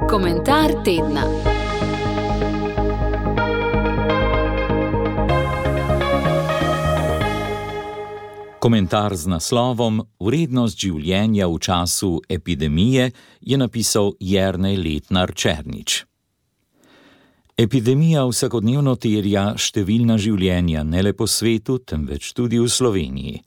Komentar tedna. Komentar z naslovom Vrednost življenja v času epidemije je napisal Jernej Letnar-Černič. Epidemija vsakodnevno terja številna življenja ne le po svetu, temveč tudi v Sloveniji.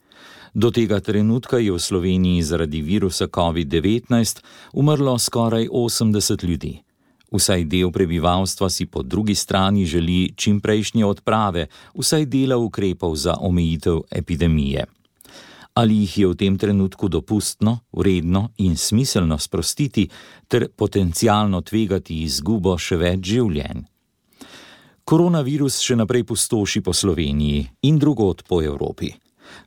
Do tega trenutka je v Sloveniji zaradi virusa COVID-19 umrlo skoraj 80 ljudi. Vsaj del prebivalstva si po drugi strani želi čimprejšnje odprave, vsaj dela ukrepov za omejitev epidemije. Ali jih je v tem trenutku dopustno, vredno in smiselno sprostiti ter potencialno tvegati izgubo še več življenj? Koronavirus še naprej pustoši po Sloveniji in drugod po Evropi.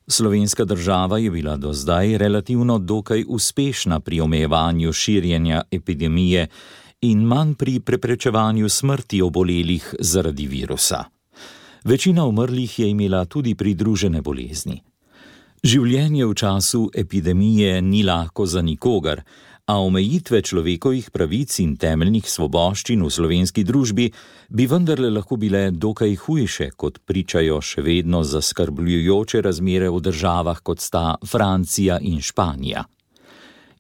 Slovenska država je bila do zdaj relativno dokaj uspešna pri omejevanju širjenja epidemije in manj pri preprečevanju smrti obolelih zaradi virusa. Večina umrlih je imela tudi pridružene bolezni. Življenje v času epidemije ni lahko za nikogar, a omejitve človekovih pravic in temeljnih svoboščin v slovenski družbi bi vendarle lahko bile dokaj hujše, kot pričajo še vedno zaskrbljujoče razmere v državah, kot sta Francija in Španija.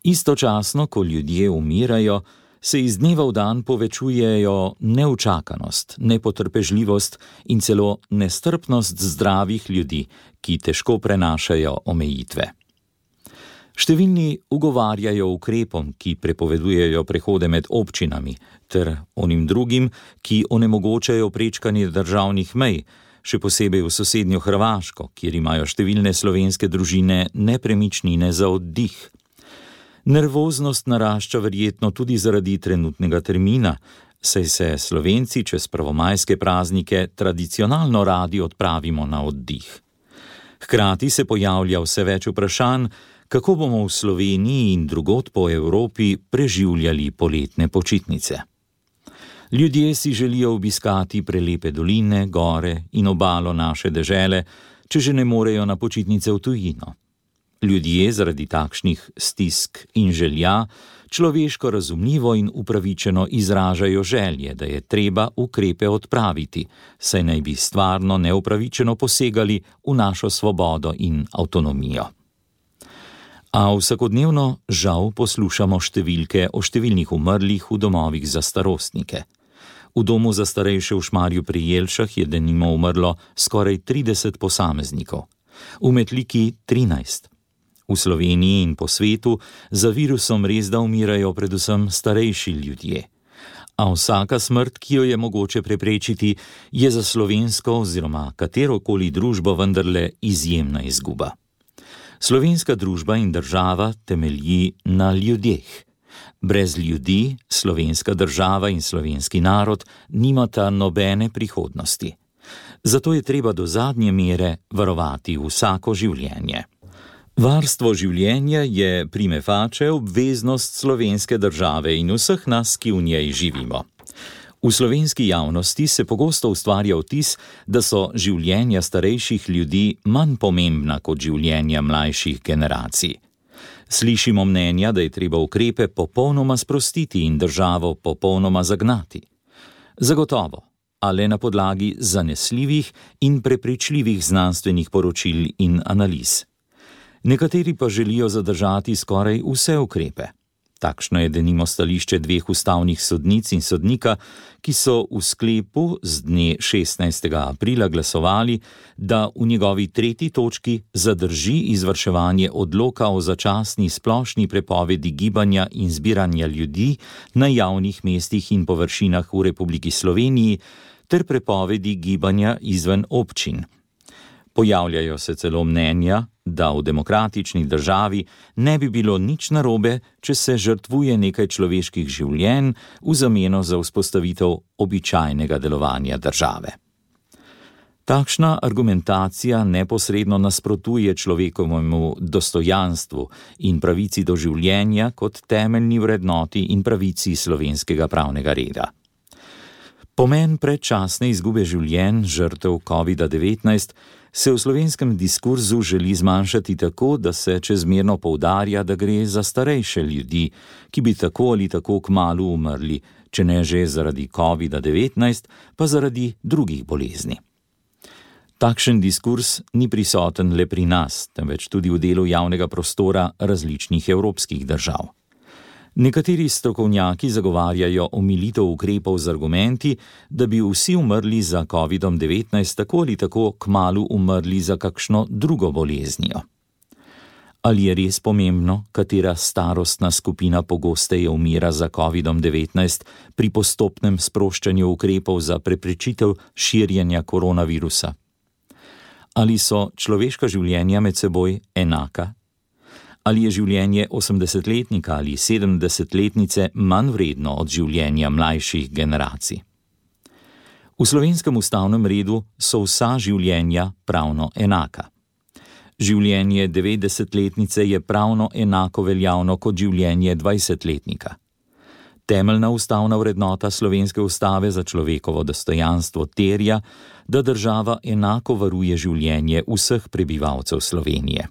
Istočasno, ko ljudje umirajo, se iz dneva v dan povečujejo neučakanost, nepotrpežljivost in celo nestrpnost zdravih ljudi, ki težko prenašajo omejitve. Številni ugovarjajo ukrepom, ki prepovedujejo prehode med občinami, ter onim drugim, ki onemogočajo prečkanje državnih mej, še posebej v sosednjo Hrvaško, kjer imajo številne slovenske družine nepremičnine za oddih. Nervoznost narašča verjetno tudi zaradi trenutnega termina, saj se Slovenci čez prvomajske praznike tradicionalno radi odpravimo na oddih. Hkrati se pojavlja vse več vprašanj, kako bomo v Sloveniji in drugod po Evropi preživljali poletne počitnice. Ljudje si želijo obiskati prelepe doline, gore in obalo naše dežele, če že ne morejo na počitnice v tujino. Ljudje zaradi takšnih stisk in želja človeško razumljivo in upravičeno izražajo želje, da je treba ukrepe odpraviti, saj naj bi stvarno neupravičeno posegali v našo svobodo in avtonomijo. A vsakodnevno žal poslušamo številke o številnih umrlih v domovih za starostnike. V domu za starejše v Šmarju pri Jelšah je denimo umrlo skoraj 30 posameznikov, v Metliki 13. V Sloveniji in po svetu za virusom resda umirajo predvsem starejši ljudje. A vsaka smrt, ki jo je mogoče preprečiti, je za slovensko oziroma katerokoli družbo vendarle izjemna izguba. Slovenska družba in država temelji na ljudeh. Brez ljudi slovenska država in slovenski narod nimata nobene prihodnosti. Zato je treba do zadnje mere varovati vsako življenje. Varstvo življenja je prime facie obveznost slovenske države in vseh nas, ki v njej živimo. V slovenski javnosti se pogosto ustvarja vtis, da so življenja starejših ljudi manj pomembna kot življenja mlajših generacij. Slišimo mnenja, da je treba ukrepe popolnoma sprostiti in državo popolnoma zagnati. Zagotovo, a le na podlagi zanesljivih in prepričljivih znanstvenih poročil in analiz. Nekateri pa želijo zadržati skoraj vse ukrepe. Takšno je denimo stališče dveh ustavnih sodnic in sodnika, ki so v sklepu z dne 16. aprila glasovali, da v njegovi 3. točki zadrži izvrševanje odloka o začasni splošni prepovedi gibanja in zbiranja ljudi na javnih mestih in površinah v Republiki Sloveniji ter prepovedi gibanja izven občin. Pojavljajo se celo mnenja, da v demokratični državi ne bi bilo nič narobe, če se žrtvuje nekaj človeških življenj v zameno za vzpostavitev običajnega delovanja države. Takšna argumentacija neposredno nasprotuje človekovemu dostojanstvu in pravici do življenja kot temeljni vrednoti in pravici slovenskega pravnega reda. Pomen predčasne izgube življenj žrtev COVID-19 se v slovenskem diskurzu želi zmanjšati tako, da se čezmerno poudarja, da gre za starejše ljudi, ki bi tako ali tako kmalu umrli, če ne že zaradi COVID-19, pa zaradi drugih bolezni. Takšen diskurs ni prisoten le pri nas, temveč tudi v delu javnega prostora različnih evropskih držav. Nekateri strokovnjaki zagovarjajo omilitev ukrepov z argumenti, da bi vsi umrli za COVID-19 tako ali tako kmalu umrli za kakšno drugo boleznijo. Ali je res pomembno, katera starostna skupina pogosteje umira za COVID-19 pri postopnem sproščanju ukrepov za preprečitev širjenja koronavirusa? Ali so človeška življenja med seboj enaka? Ali je življenje 80-letnika ali 70-letnice manj vredno od življenja mlajših generacij? V slovenskem ustavnem redu so vsa življenja pravno enaka. Življenje 90-letnice je pravno enako veljavno kot življenje 20-letnika. Temeljna ustavna vrednota slovenske ustave za človekovo dostojanstvo terja, da država enako varuje življenje vseh prebivalcev Slovenije.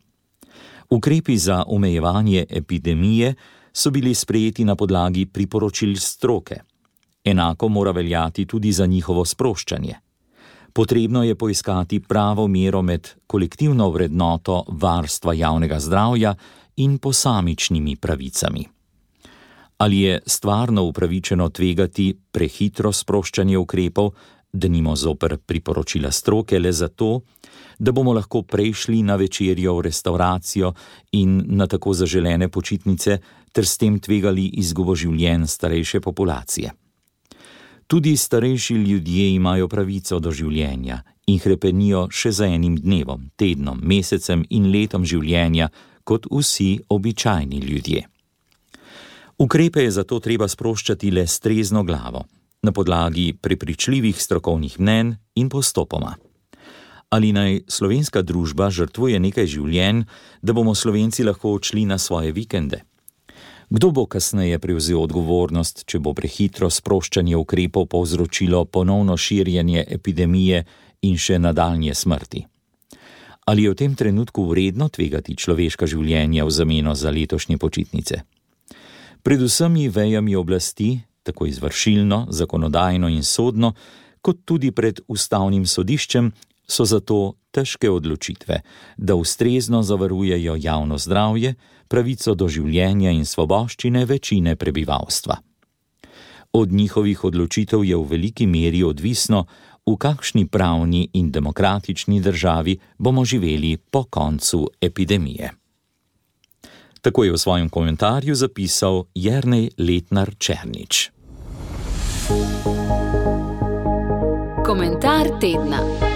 Ukrepi za omejevanje epidemije so bili sprejeti na podlagi priporočil stroke. Enako mora veljati tudi za njihovo sproščanje. Potrebno je poiskati pravo mero med kolektivno vrednoto varstva javnega zdravja in posamičnimi pravicami. Ali je stvarno upravičeno tvegati prehitro sproščanje ukrepov, denimo zoper priporočila stroke le zato, da bomo lahko prešli na večerjo v restavracijo in na tako zaželene počitnice ter s tem tvegali izgubo življenj starejše populacije. Tudi starejši ljudje imajo pravico do življenja in hrepenijo še za enim dnevom, tednom, mesecem in letom življenja kot vsi običajni ljudje. Ukrepe je zato treba sproščati le s trezno glavo, na podlagi prepričljivih strokovnih mnenj in postopoma. Ali naj slovenska družba žrtvuje nekaj življenj, da bomo Slovenci lahko odšli na svoje vikende? Kdo bo kasneje prevzel odgovornost, če bo prehitro sproščanje ukrepov povzročilo ponovno širjenje epidemije in še nadaljnje smrti? Ali je v tem trenutku vredno tvegati človeška življenja v zameno za letošnje počitnice? Pred vsemi vejami oblasti, tako izvršilno, zakonodajno in sodno, kot tudi pred ustavnim sodiščem, so zato težke odločitve, da ustrezno zavarujejo javno zdravje, pravico do življenja in svoboščine večine prebivalstva. Od njihovih odločitev je v veliki meri odvisno, v kakšni pravni in demokratični državi bomo živeli po koncu epidemije. Tako je v svojem komentarju zapisal Jernej Letnar Černič. Komentar tedna.